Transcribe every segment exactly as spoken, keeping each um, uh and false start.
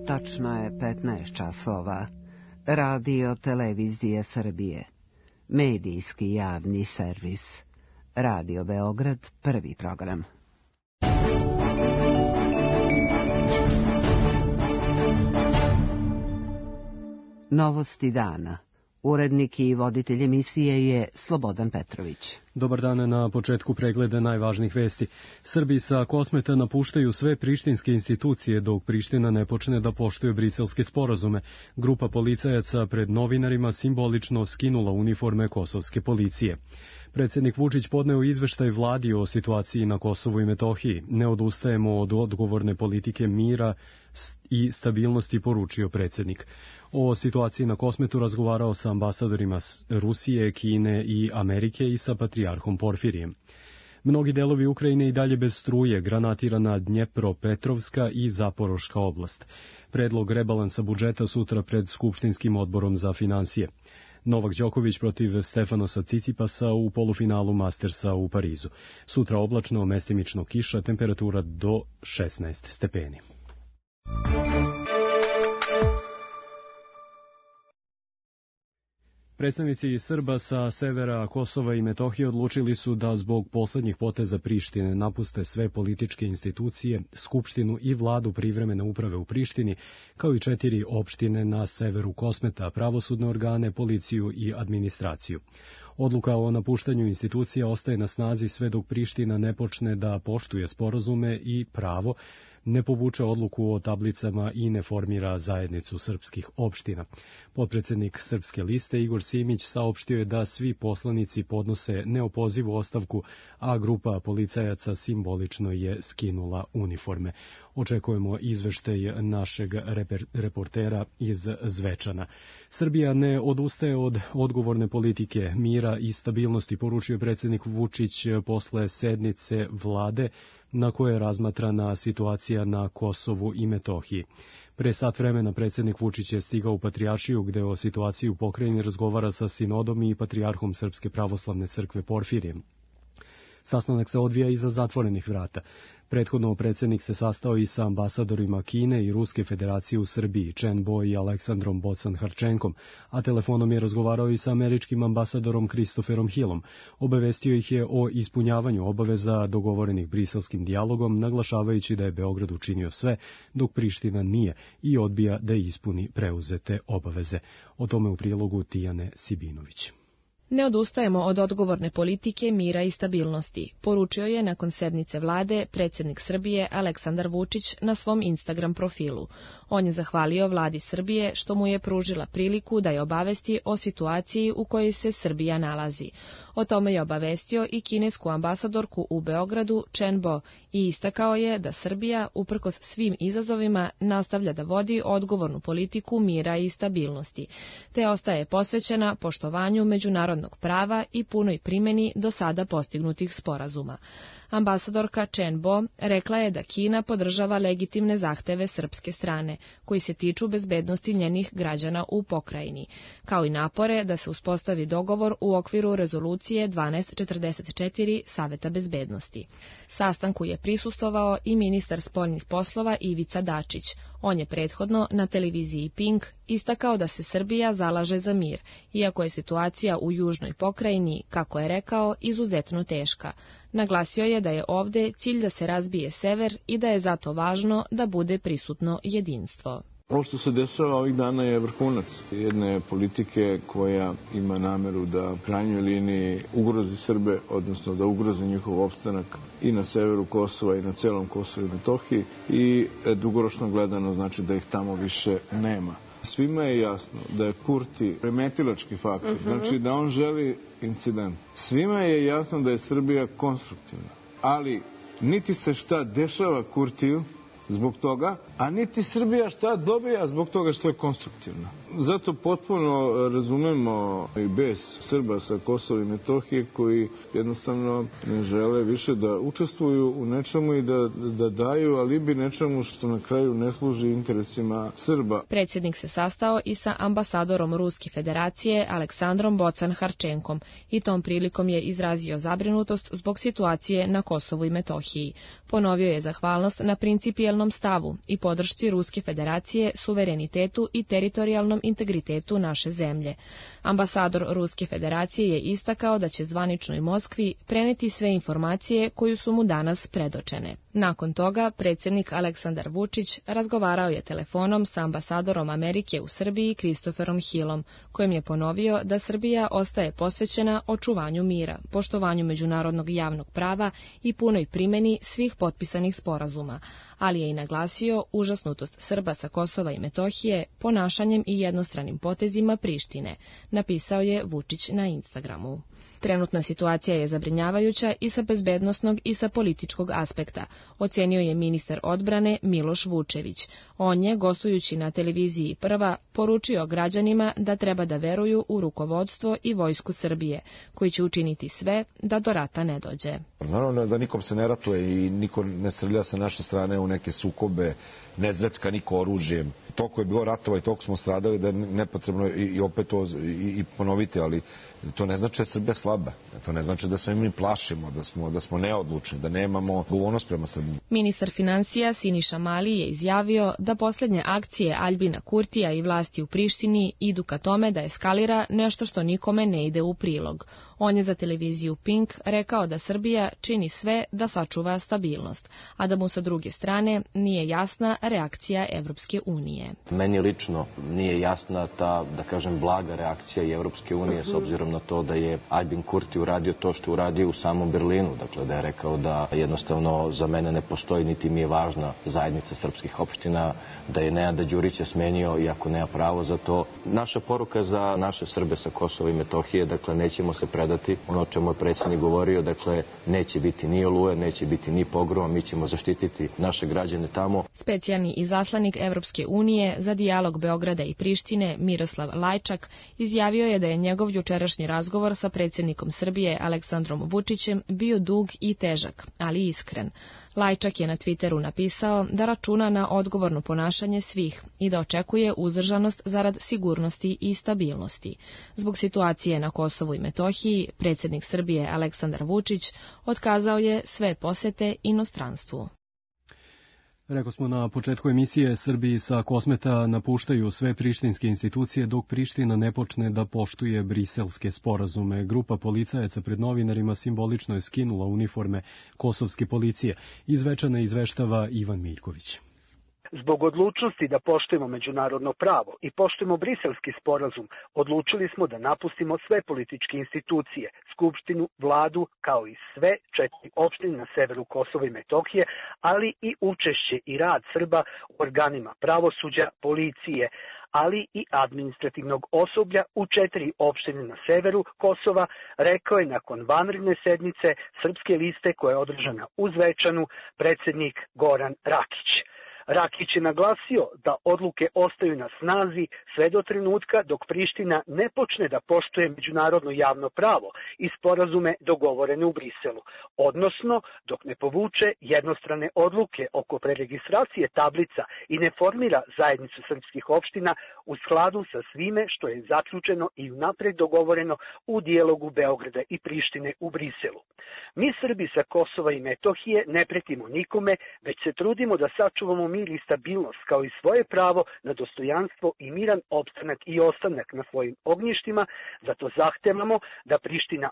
Tačno je petnaest časova. Radio Televizije Srbije. Medijski javni servis. Radio Beograd, prvi program. Novosti dana. Urednik i voditelj emisije je Slobodan Petrović. Dobar dan, na početku pregleda najvažnijih vesti. Srbi sa Kosmeta napuštaju sve prištinske institucije dok Priština ne počne da poštuje briselske sporazume. Grupa policajaca pred novinarima simbolično skinula uniforme kosovske policije. Predsjednik Vučić podneo izveštaj vladi o situaciji na Kosovu i Metohiji. Ne odustajemo od odgovorne politike mira i stabilnosti, poručio predsjednik. O situaciji na Kosmetu razgovarao sa ambasadorima Rusije, Kine i Amerike i sa patrijarhom Porfirijem. Mnogi delovi Ukrajine i dalje bez struje, granatirana Dnjepropetrovska i Zaporoška oblast. Predlog rebalansa budžeta sutra pred Skupštinskim odborom za finansije. Novak Đoković protiv Stefanosa Cicipasa u polufinalu Mastersa u Parizu. Sutra oblačno, mestimično kiša, temperatura do šesnaest stepeni. Predstavnici Srba sa severa Kosova i Metohije odlučili su da zbog poslednjih poteza Prištine napuste sve političke institucije, Skupštinu i vladu privremene uprave u Prištini, kao i četiri opštine na severu Kosmeta, pravosudne organe, policiju i administraciju. Odluka o napuštanju institucija ostaje na snazi sve dok Priština ne počne da poštuje sporazume i pravo, ne povuče odluku o tablicama i ne formira zajednicu srpskih opština. Potpredsednik Srpske liste Igor Simić saopštio je da svi poslanici podnose neopozivu ostavku, a grupa policajaca simbolično je skinula uniforme. Očekujemo izveštaj našeg reper, reportera iz Zvečana. Srbija ne odustaje od odgovorne politike mira i stabilnosti, poručio predsjednik Vučić posle sednice vlade na kojoj je razmatrana situacija na Kosovu i Metohiji. Pre sat vremena predsjednik Vučić je stigao u Patrijaršiju, gde o situaciji u pokrajini razgovara sa sinodom i patrijarhom Srpske pravoslavne crkve Porfirijem. Sastanak se odvija iza zatvorenih vrata. Prethodno predsjednik se sastao i sa ambasadorima Kine i Ruske federacije u Srbiji, Chen Bo i Aleksandrom Bocan-Harčenkom, a telefonom je razgovarao i sa američkim ambasadorom Christopherom Hillom. Obavestio ih je o ispunjavanju obaveza dogovorenih briselskim dijalogom, naglašavajući da je Beograd učinio sve, dok Priština nije i odbija da ispuni preuzete obaveze. O tome u prilogu Tijane Sibinović. Ne odustajemo od odgovorne politike mira i stabilnosti, poručio je nakon sednice vlade predsjednik Srbije Aleksandar Vučić na svom Instagram profilu. On je zahvalio vladi Srbije što mu je pružila priliku da je obavesti o situaciji u kojoj se Srbija nalazi. O tome je obavestio i kinesku ambasadorku u Beogradu Chen Bo i istakao je da Srbija, uprkos svim izazovima, nastavlja da vodi odgovornu politiku mira i stabilnosti, te ostaje posvećena poštovanju međunarodnog prava i punoj primjeni do sada postignutih sporazuma. Ambasadorka Chen Bo rekla je da Kina podržava legitimne zahteve srpske strane, koji se tiču bezbednosti njenih građana u pokrajini, kao i napore da se uspostavi dogovor u okviru rezolucije dvanaest četrdeset četiri Saveta bezbednosti. Sastanku je prisustvovao i ministar spoljnih poslova Ivica Dačić. On je prethodno na televiziji Pink istakao da se Srbija zalaže za mir, iako je situacija u južnoj pokrajini, kako je rekao, izuzetno teška. Naglasio je da je ovde cilj da se razbije sever i da je zato važno da bude prisutno jedinstvo. Ovo što se dešava ovih dana je vrhunac jedne politike koja ima nameru da u krajnjoj liniji ugrozi Srbe, odnosno da ugrozi njihov opstanak i na severu Kosova i na celom Kosovu i Metohiji i dugoročno gledano znači da ih tamo više nema. Svima je jasno da je Kurti remetilački faktor, uh-huh. znači da on želi incident. Svima je jasno da je Srbija konstruktivna, ali niti se šta dešava Kurtiju zbog toga, a niti Srbija šta dobija zbog toga što je konstruktivna. Zato potpuno razumemo i bes Srba sa Kosova i Metohije koji jednostavno ne žele više da učestvuju u nečemu i da, da daju alibi nečemu što na kraju ne služi interesima Srba. Predsjednik se sastao i sa ambasadorom Ruske federacije Aleksandrom Bocan-Harčenkom i tom prilikom je izrazio zabrinutost zbog situacije na Kosovu i Metohiji. Ponovio je zahvalnost na principijelnom stavu i podršci Ruske federacije, suverenitetu i teritorijalnom integritetu naše zemlje. Ambasador Ruske federacije je istakao da će zvaničnoj Moskvi preneti sve informacije koju su mu danas predočene. Nakon toga, predsjednik Aleksandar Vučić razgovarao je telefonom sa ambasadorom Amerike u Srbiji Christopherom Hillom, kojem je ponovio da Srbija ostaje posvećena očuvanju mira, poštovanju međunarodnog javnog prava i punoj primjeni svih potpisanih sporazuma, ali je i naglasio užasnutost Srba sa Kosova i Metohije ponašanjem i jednostranim potezima Prištine, napisao je Vučić na Instagramu. Trenutna situacija je zabrinjavajuća i sa bezbednosnog i sa političkog aspekta, ocenio je ministar odbrane Miloš Vučević. On je, gostujući na televiziji Prva, poručio građanima da treba da veruju u rukovodstvo i vojsku Srbije, koji će učiniti sve da do rata ne dođe. Naravno da nikom se ne ratuje i niko ne srlja sa naše strane u neke sukobe, ne zvecka niko oružjem. Toliko je bilo ratova i toliko smo stradali da je nepotrebno i, i opet to i, i ponoviti, ali to ne znači da je Srbija slaba. To ne znači da se mi plašimo, da smo, da smo neodlučni, da nemamo odgovornost prema Srbiji. Ministar financija Siniša Mali je izjavio da posljednje akcije Aljbina Kurtija i vlasti u Prištini idu ka tome da eskalira nešto što nikome ne ide u prilog. On je za televiziju Pink rekao da Srbija čini sve da sačuva stabilnost, a da mu sa druge strane nije jasna reakcija Evropske unije. Meni lično nije jasna ta, da kažem, blaga reakcija i Evropske unije s obzirom na to da je Aljbin Kurti uradio to što uradio u samom Berlinu. Dakle, da je rekao da jednostavno za mene ne postoji niti mi je važna zajednica srpskih opština, da je Nenada Đurića smenio iako nema pravo za to. Naša poruka za naše Srbe sa Kosova i Metohije, dakle, nećemo se predati. Ono o čemu je predsjednik govorio, dakle, neće biti ni oluje, neće biti ni pogroma, mi ćemo zaštititi naše građane tamo. Specijalni izaslanik Evropske unije za dijalog Beograda i Prištine, Miroslav Lajčak, izjavio je da je njegov jučerašnji razgovor sa predsjednikom Srbije Aleksandrom Vučićem bio dug i težak, ali iskren. Lajčak je na Twitteru napisao da računa na odgovorno ponašanje svih i da očekuje uzdržanost zarad sigurnosti i stabilnosti. Zbog situacije na Kosovu i Metohiji, predsjednik Srbije Aleksandar Vučić otkazao je sve posete inostranstvu. Rekao smo na početku emisije, Srbiji sa Kosmeta napuštaju sve prištinske institucije dok Priština ne počne da poštuje briselske sporazume. Grupa policajaca pred novinarima simbolično je skinula uniforme kosovske policije. Iz Zvečana izveštava Ivan Miljković. Zbog odlučnosti da poštujemo međunarodno pravo i poštujemo briselski sporazum, odlučili smo da napustimo sve političke institucije, skupštinu, vladu, kao i sve četiri opštine na severu Kosova i Metohije, ali i učešće i rad Srba u organima pravosuđa, policije, ali i administrativnog osoblja u četiri opštine na severu Kosova, rekao je nakon vanredne sednice Srpske liste koja je održana u Zvečanu predsjednik Goran Rakić. Rakić je naglasio da odluke ostaju na snazi sve do trenutka dok Priština ne počne da poštuje međunarodno javno pravo i sporazume dogovorene u Briselu, odnosno dok ne povuče jednostrane odluke oko preregistracije tablica i ne formira zajednicu srpskih opština u skladu sa svime što je zaključeno i unapred dogovoreno u dijalogu Beograda i Prištine u Briselu. Mi Srbi sa Kosova i Metohije ne pretimo nikome, već se trudimo da sačuvamo mir i stabilnost kao i svoje pravo na dostojanstvo i miran opstanak i ostanak na svojim ognjištima, zato zahtevamo da Priština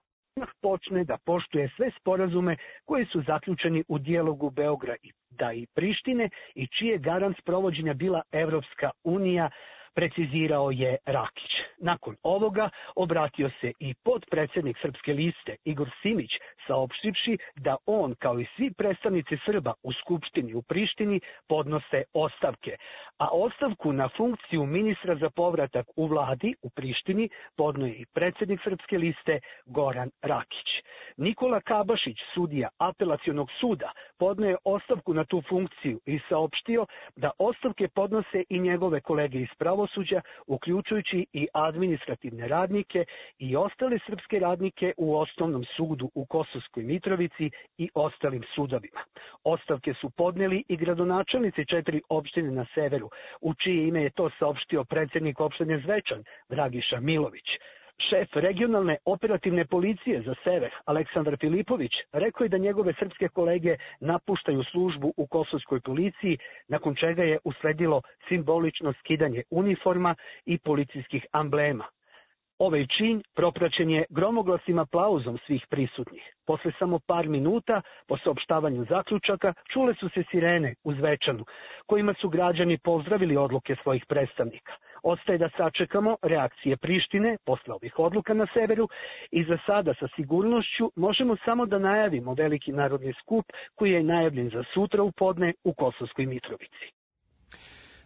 počne da poštuje sve sporazume koji su zaključeni u dijalogu Beograda i Prištine i čiji je garant sprovođenja bila Evropska unija, precizirao je Rakić. Nakon ovoga obratio se i podpredsjednik Srpske liste Igor Simić, saopštivši da on, kao i svi predstavnici Srba u Skupštini u Prištini, podnose ostavke, a ostavku na funkciju ministra za povratak u vladi u Prištini podnoje i predsjednik Srpske liste Goran Rakić. Nikola Kabašić, sudija apelacionog suda, podnoje ostavku na tu funkciju i saopštio da ostavke podnose i njegove kolege iz pravosuđa pravosuđa, uključujući i administrativne radnike i ostale srpske radnike u Osnovnom sudu u Kosovskoj Mitrovici i ostalim sudovima. Ostavke su podneli i gradonačelnici četiri opštine na severu, u čije ime je to saopštio predsjednik opštine Zvečan, Dragiša Milović. Šef regionalne operativne policije za sever, Aleksandar Filipović, rekao je da njegove srpske kolege napuštaju službu u kosovskoj policiji, nakon čega je usledilo simbolično skidanje uniforma i policijskih amblema. Ovaj čin propraćen je gromoglasnim aplauzom svih prisutnih. Posle samo par minuta, po saopštavanju zaključaka, čule su se sirene u Zvečanu, kojima su građani pozdravili odluke svojih predstavnika. Ostaje da sačekamo reakcije Prištine posle ovih odluka na severu i za sada sa sigurnošću možemo samo da najavimo veliki narodni skup koji je najavljen za sutra u podne u Kosovskoj Mitrovici.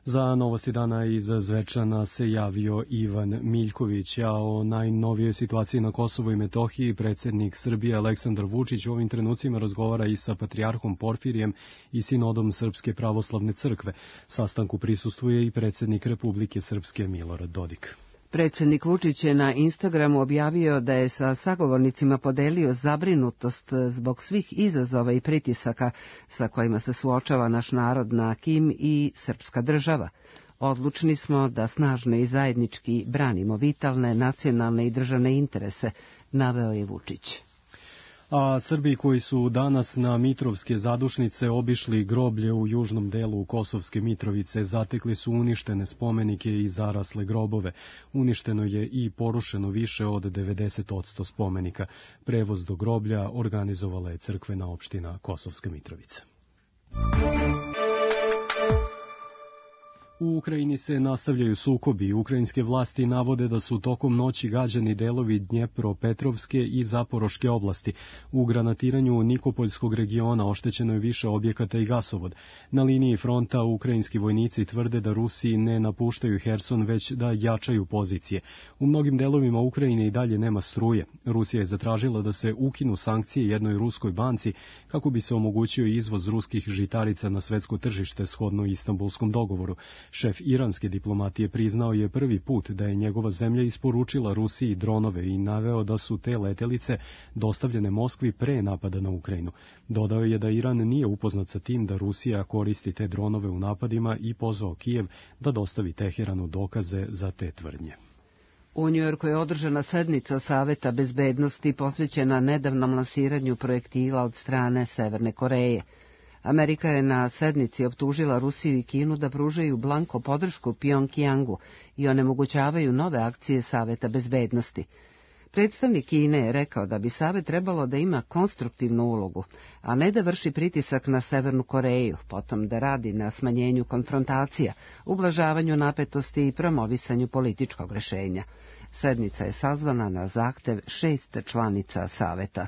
Za novosti dana iz Zvečana se javio Ivan Miljković, a o najnovijoj situaciji na Kosovu i Metohiji predsjednik Srbije Aleksandar Vučić u ovim trenucima razgovara i sa patrijarhom Porfirijem i sinodom Srpske pravoslavne crkve. Sastanku prisustvuje i predsjednik Republike Srpske Milorad Dodik. Predsjednik Vučić je na Instagramu objavio da je sa sagovornicima podelio zabrinutost zbog svih izazova i pritisaka sa kojima se suočava naš narod na Kim i srpska država. Odlučni smo da snažno i zajednički branimo vitalne, nacionalne i državne interese, naveo je Vučić. A Srbi koji su danas na Mitrovske zadušnice obišli groblje u južnom delu Kosovske Mitrovice, zatekli su uništene spomenike i zarasle grobove. Uništeno je i porušeno više od devedeset posto spomenika. Prevoz do groblja organizovala je crkvena opština Kosovska Mitrovica. U Ukrajini se nastavljaju sukobi. Ukrajinske vlasti navode da su tokom noći gađani delovi Dnjepropetrovske i Zaporoške oblasti. U granatiranju Nikopoljskog regiona oštećeno je više objekata i gasovod. Na liniji fronta ukrajinski vojnici tvrde da Rusi ne napuštaju Herson, već da jačaju pozicije. U mnogim delovima Ukrajine i dalje nema struje. Rusija je zatražila da se ukinu sankcije jednoj ruskoj banci kako bi se omogućio izvoz ruskih žitarica na svetsko tržište shodno Istanbulskom dogovoru. Šef iranske diplomatije priznao je prvi put da je njegova zemlja isporučila Rusiji dronove i naveo da su te letelice dostavljene Moskvi pre napada na Ukrajinu. Dodao je da Iran nije upoznat sa tim da Rusija koristi te dronove u napadima i pozvao Kijev da dostavi Teheranu dokaze za te tvrdnje. U Njujorku je održana sednica Saveta bezbednosti posvećena nedavnom lansiranju projektila od strane Severne Koreje. Amerika je na sednici optužila Rusiju i Kinu da pružaju blanko podršku Pjongjangu i onemogućavaju nove akcije Saveta bezbednosti. Predstavnik Kine je rekao da bi Savet trebalo da ima konstruktivnu ulogu, a ne da vrši pritisak na Severnu Koreju, potom da radi na smanjenju konfrontacija, ublažavanju napetosti i promovisanju političkog rešenja. Sednica je sazvana na zahtev šest članica Saveta.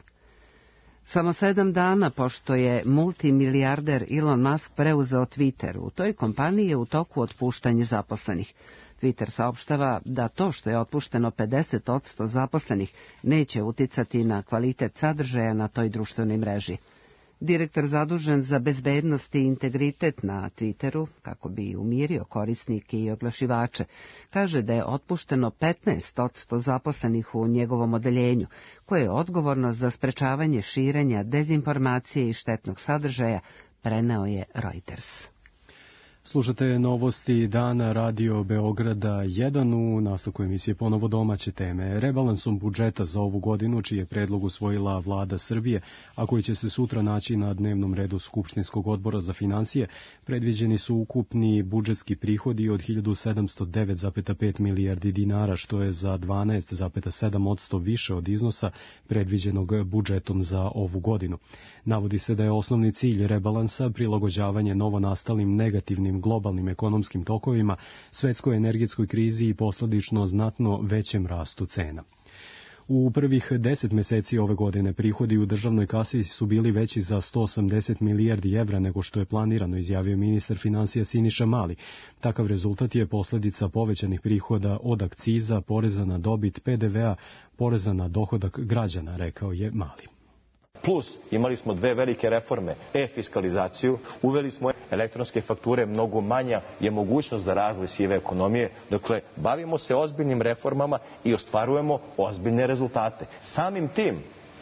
Samo sedam dana pošto je multimilijarder Elon Musk preuzeo Twitter, u toj kompaniji je u toku otpuštanje zaposlenih. Twitter saopštava da to što je otpušteno pedeset posto zaposlenih neće uticati na kvalitet sadržaja na toj društvenoj mreži. Direktor zadužen za bezbednost i integritet na Twitteru, kako bi umirio korisnike i oglašivače, kaže da je otpušteno petnaest posto zaposlenih u njegovom odeljenju, koje je odgovorno za sprečavanje širenja dezinformacije i štetnog sadržaja, preneo je Reuters. Slušate novosti dana Radio Beograda jedan, u nastavku emisije ponovo domaće teme. Rebalansom budžeta za ovu godinu, čiji je predlog usvojila vlada Srbije, a koji će se sutra naći na dnevnom redu Skupštinskog odbora za finansije, predviđeni su ukupni budžetski prihodi od hiljadu sedamsto devet zarez pet milijardi dinara, što je za dvanaest zarez sedam posto više od iznosa predviđenog budžetom za ovu godinu. Navodi se da je osnovni cilj rebalansa prilagođavanje novonastalim negativnim globalnim ekonomskim tokovima, svetskoj energetskoj krizi i posledično znatno većem rastu cena. U prvih deset meseci ove godine prihodi u državnoj kasi su bili veći za sto osamdeset milijardi evra nego što je planirano, izjavio ministar finansija Siniša Mali. Takav rezultat je posljedica povećanih prihoda od akciza, poreza na dobit, P D V-a, poreza na dohodak građana, rekao je Mali. Plus imali smo dve velike reforme, e-fiskalizaciju, uveli smo elektronske fakture, mnogo manja je mogućnost za razvoj sive ekonomije. Dakle, bavimo se ozbiljnim reformama i ostvarujemo ozbiljne rezultate. Samim tim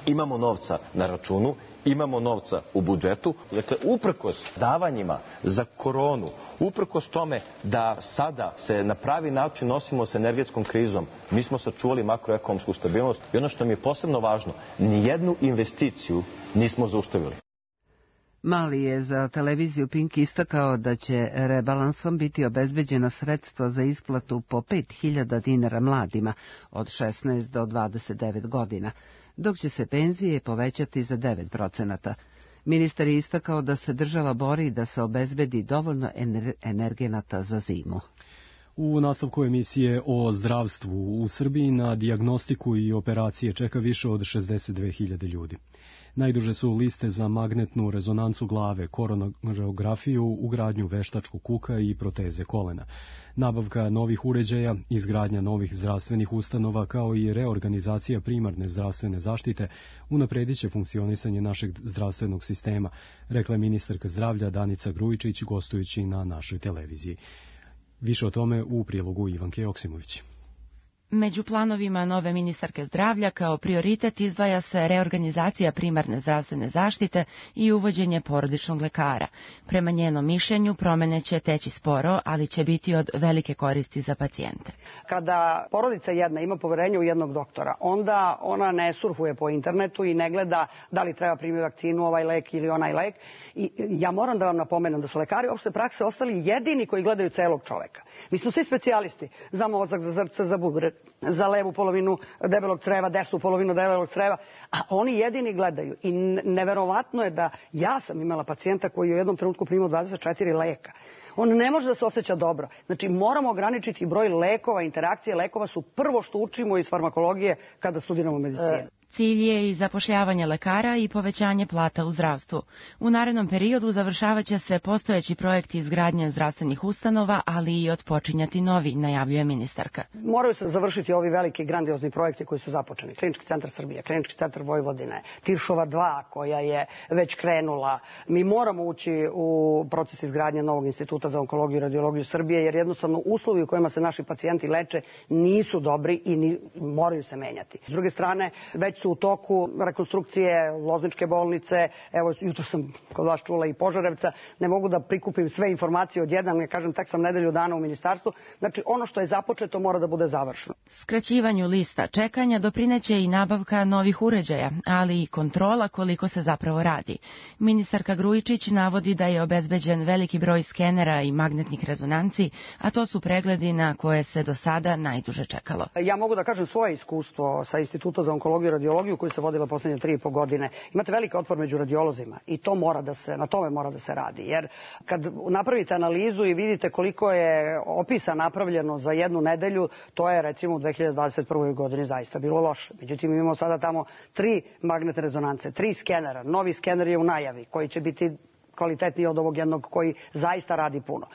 imamo novca na računu, imamo novca u budžetu. Dakle, uprkos davanjima za koronu, uprkos tome da sada se na pravi način nosimo s energetskom krizom, mi smo sačuvali makroekonomsku stabilnost i ono što mi je posebno važno, nijednu investiciju nismo zaustavili. Mali je za televiziju Pink istakao da će rebalansom biti obezbeđena sredstva za isplatu po pet hiljada dinara mladima od šesnaest do dvadeset devet godina, dok će se penzije povećati za devet procenata. Ministar je istakao da se država bori da se obezbedi dovoljno energenata za zimu. U nastavku emisije o zdravstvu u Srbiji na dijagnostiku i operacije čeka više od šezdeset dve hiljade ljudi. Najduže su liste za magnetnu rezonancu glave, koronarografiju, ugradnju veštačkog kuka i proteze kolena. Nabavka novih uređaja, izgradnja novih zdravstvenih ustanova kao i reorganizacija primarne zdravstvene zaštite unapredit će funkcionisanje našeg zdravstvenog sistema, rekla je ministarka zdravlja Danica Grujičić gostujući na našoj televiziji. Više o tome u prilogu Ivanke Joksimović. Među planovima nove ministarke zdravlja kao prioritet izdvaja se reorganizacija primarne zdravstvene zaštite i uvođenje porodičnog lekara. Prema njenom mišljenju promene će teći sporo, ali će biti od velike koristi za pacijente. Kada porodica jedna ima poverenje u jednog doktora, onda ona ne surfuje po internetu i ne gleda da li treba primiti vakcinu, ovaj lek ili onaj lek. I ja moram da vam napomenem da su lekari opšte prakse ostali jedini koji gledaju celog čoveka. Mi smo svi specijalisti za mozak, za srce, za bubreg, za levu polovinu debelog creva, desnu polovinu debelog creva, a oni jedini gledaju. I neverovatno je da ja sam imala pacijenta koji je u jednom trenutku primao dvadeset četiri leka. On ne može da se osjeća dobro. Znači, moramo ograničiti broj lekova, interakcije lekova su prvo što učimo iz farmakologije kada studiramo medicinu. Cilj je i zapošljavanje lekara i povećanje plata u zdravstvu. U narednom periodu završavaće se postojeći projekti izgradnje zdravstvenih ustanova, ali i otpočinjati novi, najavljuje ministarka. Moraju se završiti ovi veliki grandiozni projekti koji su započeni. Klinički centar Srbije, Klinički centar Vojvodine, Tiršova dva koja je već krenula. Mi moramo ući u proces izgradnje novog instituta za onkologiju i radiologiju Srbije, jer jednostavno uslovi u kojima se naši pacijenti leče nisu dobri i ni, moraju se menjati. S druge strane, već su u toku rekonstrukcije Lozničke bolnice, evo jutro sam kod vas čula i Požarevca, ne mogu da prikupim sve informacije odjednom, ne kažem, tek sam nedelju dana u ministarstvu, znači ono što je započeto mora da bude završeno. Skraćivanju lista čekanja doprineće i nabavka novih uređaja, ali i kontrola koliko se zapravo radi. Ministarka Grujičić navodi da je obezbeđen veliki broj skenera i magnetnih rezonanci, a to su pregledi na koje se do sada najduže čekalo. Ja mogu da kažem svoje iskustvo sa Instituta za onkologiju i radiologiju koju se vodila poslednje tri i po godine. Imate veliki otpor među radiolozima i to mora da se, na tome mora da se radi. Jer kad napravite analizu i vidite koliko je opisa napravljeno za jednu nedelju, to je recimo u dve hiljade dvadeset prvoj godini zaista bilo loše. Međutim, imamo sada tamo tri magnetne rezonance, tri skenera. Novi skener je u najavi koji će biti kvalitetniji od ovog jednog koji zaista radi puno.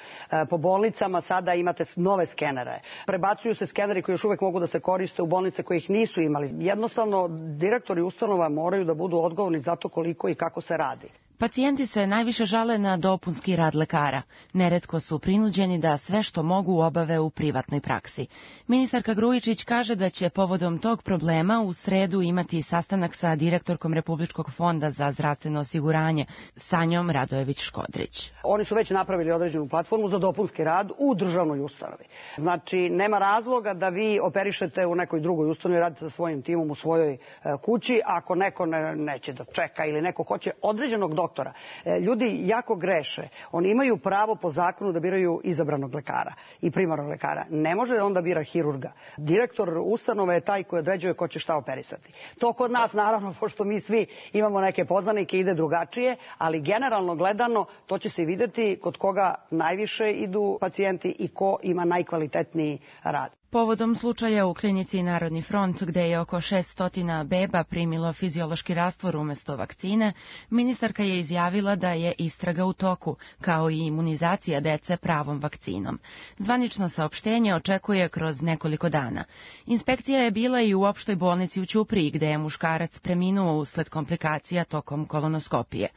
Po bolnicama sada imate nove skenere. Prebacuju se skeneri koji još uvek mogu da se koriste u bolnice koje ih nisu imali. Jednostavno, direktori ustanova moraju da budu odgovorni za to koliko i kako se radi. Pacijenti se najviše žale na dopunski rad lekara. Neretko su prinuđeni da sve što mogu obave u privatnoj praksi. Ministarka Grujičić kaže da će povodom tog problema u sredu imati sastanak sa direktorkom Republičkog fonda za zdravstveno osiguranje, Sanjom Radojević-Škodrić. Oni su već napravili određenu platformu za dopunski rad u državnoj ustanovi. Znači, nema razloga da vi operišete u nekoj drugoj ustanovi, radite sa svojim timom u svojoj kući, ako neko ne, neće da čeka ili neko hoće određenog doktora. doktora. Ljudi jako greše. Oni imaju pravo po zakonu da biraju izabranog lekara i primarnog lekara. Ne može onda bira hirurga. Direktor ustanove je taj koji određuje ko će šta operisati. To kod nas, naravno, pošto mi svi imamo neke poznanike, ide drugačije, ali generalno gledano to će se videti kod koga najviše idu pacijenti i ko ima najkvalitetniji rad. Povodom slučaja u klinici Narodni front, gde je oko šesto beba primilo fiziološki rastvor umesto vakcine, ministarka je izjavila da je istraga u toku, kao i imunizacija dece pravom vakcinom. Zvanično saopštenje očekuje kroz nekoliko dana. Inspekcija je bila i u opštoj bolnici u Ćupriji, gde je muškarac preminuo usled komplikacija tokom kolonoskopije.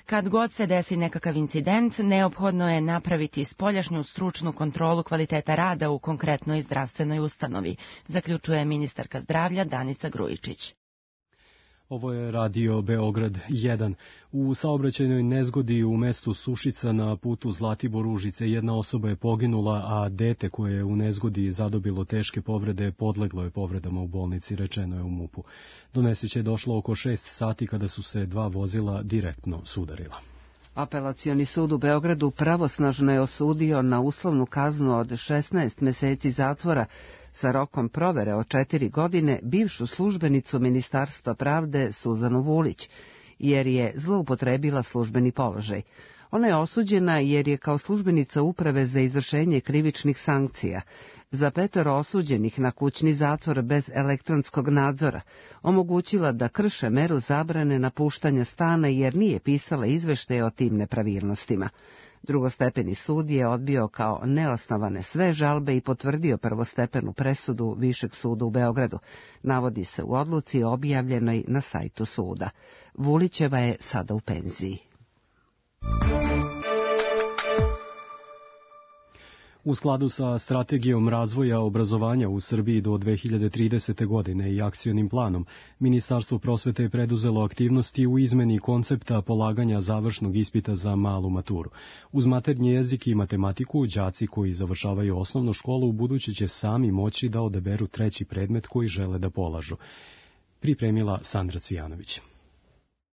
Kad god se desi nekakav incident, neophodno je napraviti spoljašnju stručnu kontrolu kvaliteta rada u konkretnoj zdravstvenoj ustanovi, zaključuje ministarka zdravlja Danica Grujičić. Ovo je radio Beograd jedan. U saobraćajnoj nezgodi u mestu Sušica na putu Zlatibor-Užice jedna osoba je poginula, a dete koje je u nezgodi zadobilo teške povrede podleglo je povredama u bolnici, rečeno je u MUP-u. Do nesreće je došlo oko šest sati kada su se dva vozila direktno sudarila. Apelacioni sud u Beogradu pravosnažno je osudio na uslovnu kaznu od šesnaest meseci zatvora sa rokom provere od četiri godine bivšu službenicu Ministarstva pravde Suzanu Vulić, jer je zloupotrebila službeni položaj. Ona je osuđena jer je kao službenica Uprave za izvršenje krivičnih sankcija za petoro osuđenih na kućni zatvor bez elektronskog nadzora omogućila da krše meru zabrane napuštanja stana jer nije pisala izveštaje o tim nepravilnostima. Drugostepeni sud je odbio kao neosnovane sve žalbe i potvrdio prvostepenu presudu Višeg suda u Beogradu. Navodi se u odluci objavljenoj na sajtu suda. Vulićeva je sada u penziji. U skladu sa strategijom razvoja obrazovanja u Srbiji do dve hiljade tridesete. godine i akcionim planom, Ministarstvo prosvete je preduzelo aktivnosti u izmeni koncepta polaganja završnog ispita za malu maturu. Uz maternji jezik i matematiku, đaci koji završavaju osnovnu školu ubuduće će sami moći da odaberu treći predmet koji žele da polažu. Pripremila Sandra Cvijanović.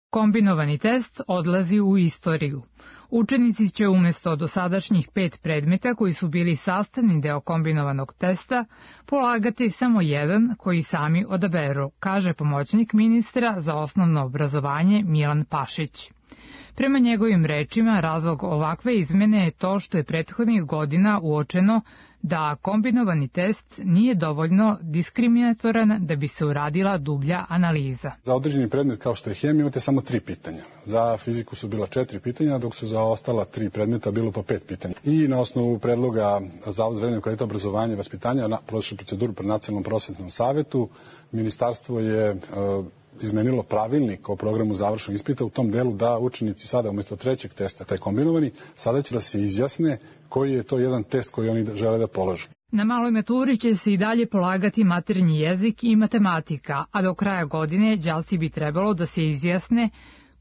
Kombinovani test odlazi u istoriju. Učenici će umjesto dosadašnjih pet predmeta koji su bili sastavni deo kombinovanog testa polagati samo jedan koji sami odaberu, kaže pomoćnik ministra za osnovno obrazovanje Milan Pašić. Prema njegovim rečima, razlog ovakve izmene je to što je prethodnih godina uočeno da kombinovani test nije dovoljno diskriminatoran da bi se uradila dublja analiza. Za određeni predmet kao što je hemija imate samo tri pitanja. Za fiziku su bila četiri pitanja, dok su za ostala tri predmeta bilo pa pet pitanja. I na osnovu predloga Zavoda za vrednovanje kvaliteta obrazovanja i vaspitanja na prošlu proceduru pred Nacionalnom prosvetnom savetu, ministarstvo je e, izmenilo pravilnik o programu završnog ispita u tom delu da učenici sada umjesto trećeg testa, taj kombinovani, sada će da se izjasne koji je to jedan test koji oni žele da polažu. Na maloj maturi će se i dalje polagati maternji jezik i matematika, a do kraja godine đaci bi trebalo da se izjasne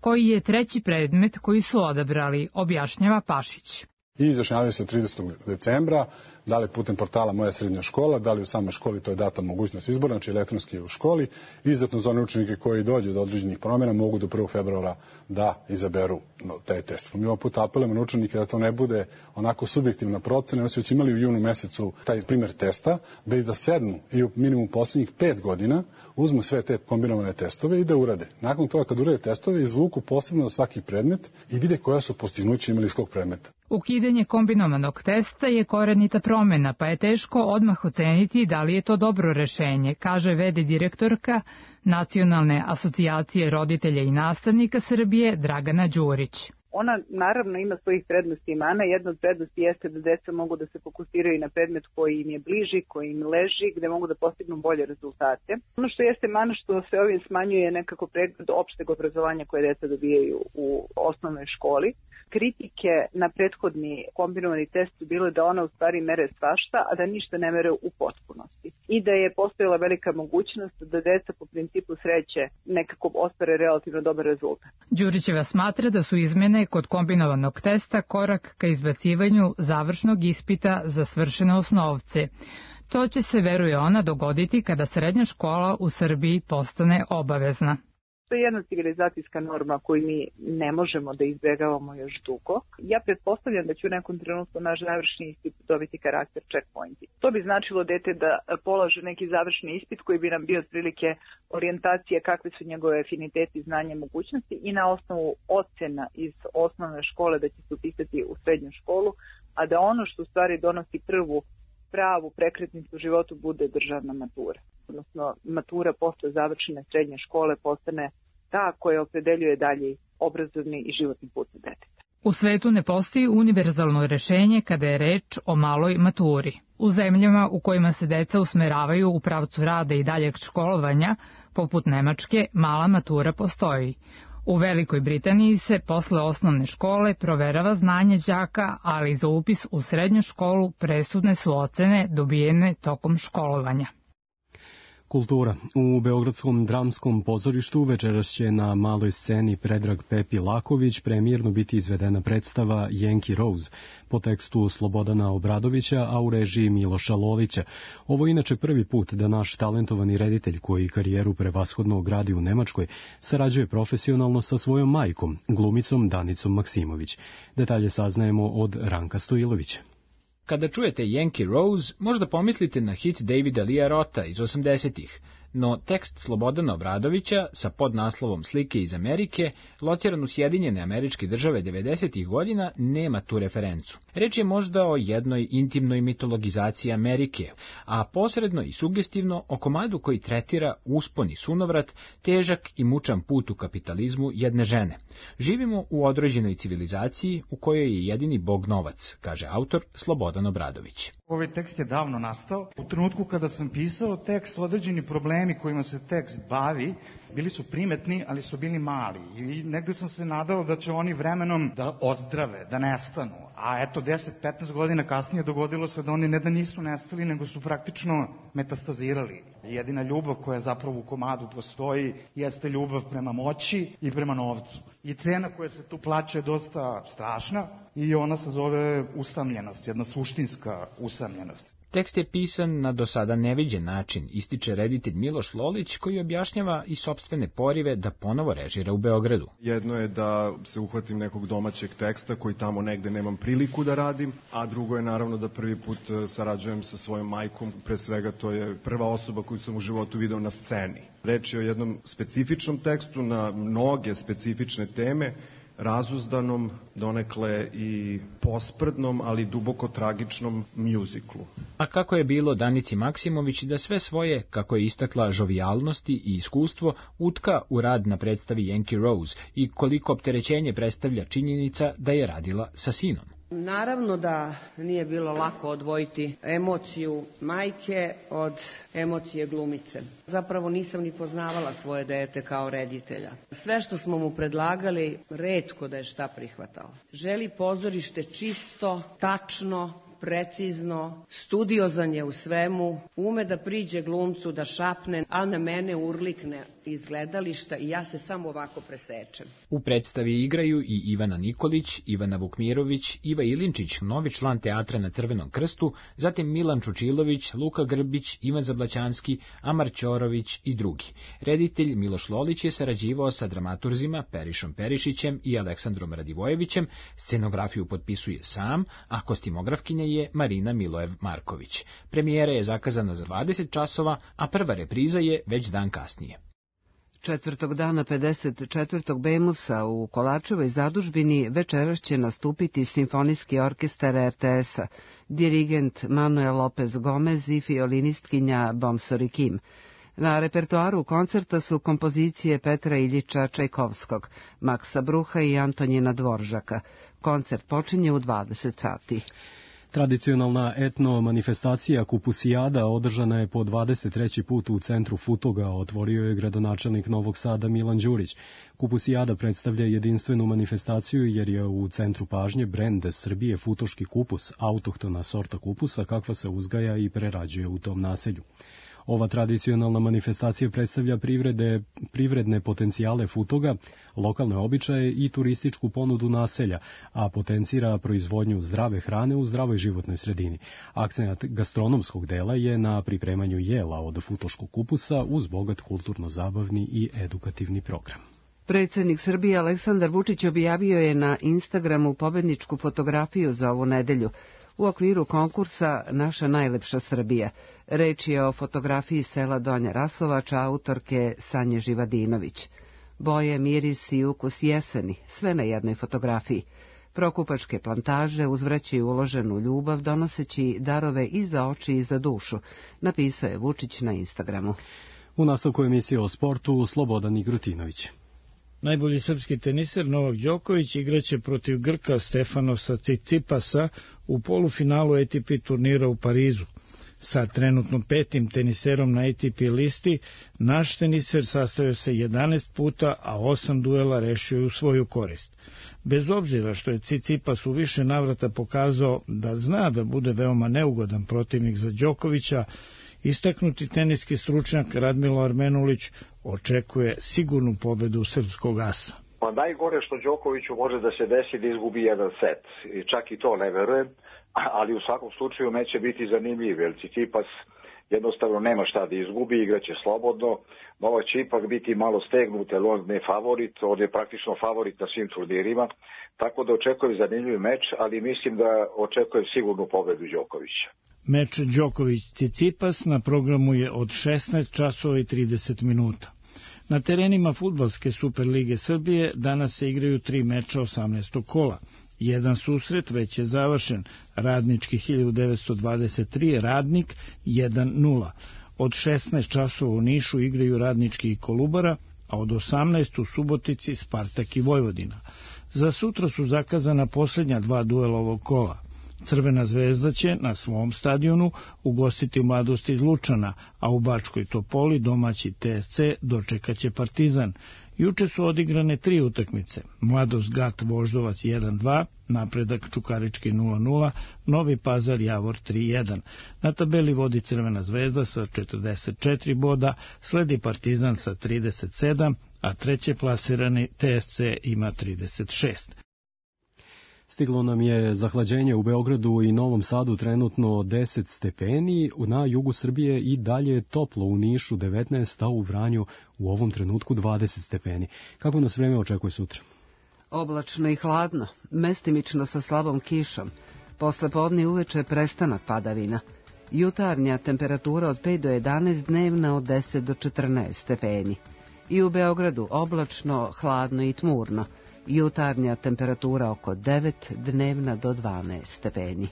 koji je treći predmet koji su odabrali, objašnjava Pašić. I izjašnjavaju se tridesetog decembra, da li putem portala Moja srednja škola, da li u samoj školi, to je data mogućnost izbora, znači elektronski u školi. Izuzetno za one učenike koji dođe do određenih promjena mogu do prvog februara da izaberu taj test. Mi ovog puta apelujemo na učenike da to ne bude onako subjektivna procena, oni su već imali u junu mesecu taj primjer testa, već da sednu i u minimum posljednjih pet godina uzmu sve te kombinovane testove i da urade. Nakon toga kad urade testove, izvuku posebno za svaki predmet i vide koja su postignuća imali iz kog predmeta. Ukidanje kombinovanog testa je korenita promjena, pa je teško odmah oceniti da li je to dobro rešenje, kaže ve de direktorka Nacionalne asocijacije roditelja i nastavnika Srbije Dragana Đurić. Ona naravno ima svojih prednosti i mana. Jedna od prednosti jeste da deca mogu da se fokusiraju na predmet koji im je bliži, koji im leži, gde mogu da postignu bolje rezultate. Ono što jeste mana što se ovim smanjuje nekako pregled opšteg obrazovanja koje deca dobijaju u osnovnoj školi. Kritike na prethodni kombinovani test su bile da ona u stvari mere svašta, a da ništa ne mere u potpunosti. I da je postojala velika mogućnost da deca po principu sreće nekako ostvare relativno dobar rezultat. Đurićeva smatra da su izmene kod kombinovanog testa korak ka izbacivanju završnog ispita za svršene osnovce. To će se, veruje ona, dogoditi kada srednja škola u Srbiji postane obavezna. To je jedna civilizacijska norma koju mi ne možemo da izbjegavamo još dugo. Ja pretpostavljam da će u nekom trenutku naš završni ispit dobiti karakter checkpointi. To bi značilo dete da polaže neki završni ispit koji bi nam bio otprilike orijentacija kakve su njegove afiniteti, znanje, mogućnosti i na osnovu ocena iz osnovne škole da će se upisati u srednju školu, a da ono što u stvari donosi prvu pravu prekretnicu u životu bude državna matura. Odnosno, matura posle završene srednje škole postane ta koja opredeljuje dalje obrazovni i životni put deteta. U svetu ne postoji univerzalno rešenje kada je reč o maloj maturi. U zemljama u kojima se deca usmeravaju u pravcu rada i daljeg školovanja, poput Nemačke, mala matura postoji. U Velikoj Britaniji se posle osnovne škole proverava znanje đaka, ali za upis u srednju školu presudne su ocene dobijene tokom školovanja. Kultura. U Beogradskom dramskom pozorištu večeras će na maloj sceni Predrag Pepi Laković premijerno biti izvedena predstava Yankee Rose po tekstu Slobodana Obradovića, a u režiji Miloša Lolića. Ovo je inače prvi put da naš talentovani reditelj, koji karijeru prevashodno gradi u Nemačkoj, sarađuje profesionalno sa svojom majkom, glumicom Danicom Maksimović. Detalje saznajemo od Ranka Stojilovića. Kada čujete Yankee Rose, možda pomislite na hit Davida Lia Rotha iz osamdesetih, no tekst Slobodana Obradovića sa podnaslovom Slike iz Amerike, lociran u Sjedinjene Američke Države devedesetih godina, nema tu referencu. Reč je možda o jednoj intimnoj mitologizaciji Amerike, a posredno i sugestivno o komadu koji tretira uspon i sunovrat, težak i mučan put u kapitalizmu jedne žene. Živimo u određenoj civilizaciji u kojoj je jedini bog novac, kaže autor Slobodan Obradović. Ovaj tekst je davno nastao. U trenutku kada sam pisao tekst, određeni problemi kojima se tekst bavi bili su primetni, ali su bili mali. I negde sam se nadao da će oni vremenom da ozdrave, da nestanu. A eto, deset do petnaest godina kasnije dogodilo se da oni ne da nisu nestali, nego su praktično metastazirali. Jedina ljubav koja zapravo u komadu postoji jeste ljubav prema moći i prema novcu. I cena koja se tu plaća je dosta strašna i ona se zove usamljenost, jedna suštinska usamljenost. Tekst je pisan na do sada neviđen način, ističe reditelj Miloš Lolić, koji objašnjava i sopstvene porive da ponovo režira u Beogradu. Jedno je da se uhvatim nekog domaćeg teksta koji tamo negde nemam priliku da radim, a drugo je naravno da prvi put sarađujem sa svojom majkom. Pre svega to je prva osoba koju sam u životu video na sceni. Reč je o jednom specifičnom tekstu na mnoge specifične teme, razuzdanom, donekle i posprdnom, ali duboko tragičnom mjuziklu. A kako je bilo Danici Maksimović da sve svoje, kako je istakla, žovijalnosti i iskustvo utka u rad na predstavi Yankee Rose i koliko opterećenje predstavlja činjenica da je radila sa sinom? Naravno da nije bilo lako odvojiti emociju majke od emocije glumice. Zapravo nisam ni poznavala svoje dete kao reditelja. Sve što smo mu predlagali, retko da je šta prihvatao. Želi pozorište čisto, tačno, precizno, studiozan je u svemu, ume da priđe glumcu, da šapne, a na mene urlikne iz gledališta i ja se samo ovako presečem. U predstavi igraju i Ivana Nikolić, Ivana Vukmirović, Iva Ilinčić, novi član teatra na Crvenom krstu, zatim Milan Čučilović, Luka Grbić, Ivan Zablaćanski, Amar Ćorović i drugi. Reditelj Miloš Lolić je sarađivao sa dramaturzima Perišom Perišićem i Aleksandrom Radivojevićem, scenografiju potpisuje sam, a kostimografkinja je Marina Milojev Marković. Premijera je zakazana za dvadeset časova, a prva repriza je već dan kasnije. Četvrtog dana pedeset četvrtog Bemusa u Kolačevoj zadužbini večeras će nastupiti Simfonijski orkestar er te es-a, dirigent Manuel Lopez Gomez i fiolinistkinja Bomsori Kim. Na repertoaru koncerta su kompozicije Petra Iljiča Čajkovskog, Maksa Bruha i Antonjina Dvoržaka. Koncert počinje u dvadeset sati. Tradicionalna etno manifestacija Kupusijada održana je po dvadeset treći put u centru Futoga, otvorio je gradonačelnik Novog Sada Milan Đurić. Kupusijada predstavlja jedinstvenu manifestaciju jer je u centru pažnje brend Srbije futoški kupus, autohtona sorta kupusa kakva se uzgaja i prerađuje u tom naselju. Ova tradicionalna manifestacija predstavlja privrede, privredne potencijale Futoga, lokalne običaje i turističku ponudu naselja, a potencira proizvodnju zdrave hrane u zdravoj životnoj sredini. Akcenat gastronomskog dela je na pripremanju jela od futoškog kupusa uz bogat kulturno-zabavni i edukativni program. Predsjednik Srbije Aleksandar Vučić objavio je na Instagramu pobedničku fotografiju za ovu nedelju. U okviru konkursa Naša najlepša Srbija. Reč je o fotografiji sela Donja Rasovača autorke Sanje Živadinović. Boje, miris i ukus jeseni, sve na jednoj fotografiji. Prokupačke plantaže uzvraćaju uloženu ljubav donoseći darove i za oči i za dušu, napisao je Vučić na Instagramu. U nastavku emisije o sportu Slobodan Igrutinović. Najbolji srpski teniser Novak Đoković igraće protiv Grka Stefanosa Cicipasa u polufinalu A T P turnira u Parizu. Sa trenutno petim teniserom na A T P listi, naš teniser sastavio se jedanaest puta, a osam duela rešio je u svoju korist. Bez obzira što je Cicipas u više navrata pokazao da zna da bude veoma neugodan protivnik za Đokovića, istaknuti teniski stručnjak Radmilo Armenulić očekuje sigurnu pobedu srpskog asa. Pa najgore što Đokoviću može da se desi da izgubi jedan set. I čak i to ne verujem, ali u svakom slučaju neće biti zanimljiv, jer Cicipas jednostavno nema šta da izgubi, igraće slobodno. Novak će ipak biti malo stegnut, jer on ne favorit, on je praktično favorit na svim turnirima, tako da očekujem zanimljiv meč, ali mislim da očekujem sigurnu pobedu Đokovića. Meč Đoković-Cicipas na programu je od šesnaest časova i trideset minuta. Na terenima fudbalske Superlige Srbije danas se igraju tri meča osamnaestog kola. Jedan susret već je završen, Radnički hiljadu devetsto dvadeset tri, Radnik jedan nula. Od šesnaest časova u Nišu igraju Radnički i Kolubara, a od osamnaest u Subotici Spartak i Vojvodina. Za sutra su zakazana posljednja dva duela ovog kola. Crvena zvezda će na svom stadionu ugostiti Mladost iz Lučana, a u Bačkoj Topoli domaći T S C dočekaće Partizan. Juče su odigrane tri utakmice. Mladost Gat Voždovac jedan dva, Napredak Čukarički nula nula, Novi Pazar Javor tri jedan. Na tabeli vodi Crvena zvezda sa četrdeset četiri boda, sledi Partizan sa trideset sedam, a treće plasirani T S C ima trideset šest. Stiglo nam je zahlađenje u Beogradu i Novom Sadu, trenutno deset stepeni, na jugu Srbije i dalje je toplo, u Nišu devetnaest, a u Vranju u ovom trenutku dvadeset stepeni. Kako nas vreme očekuje sutra? Oblačno i hladno, mestimično sa slabom kišom. Posle podne uveče prestanak padavina. Jutarnja temperatura od pet do jedanaest, dnevna od deset do četrnaest stepeni. I u Beogradu oblačno, hladno i tmurno. Jutarnja temperatura oko devet, dnevna do dvanaest stepeni.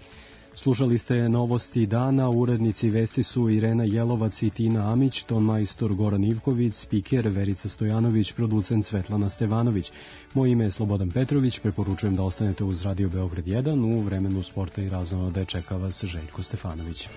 Slušali ste novosti dana, urednici vesti su Irena Jelovac i Tina Amić, ton majstor Goran Ivković, spiker Verica Stojanović, producent Svetlana Stevanović. Moje ime je Slobodan Petrović, preporučujem da ostanete uz Radio Beograd jedan, u vremenu sporta i razonode čeka vas Željko Stefanović.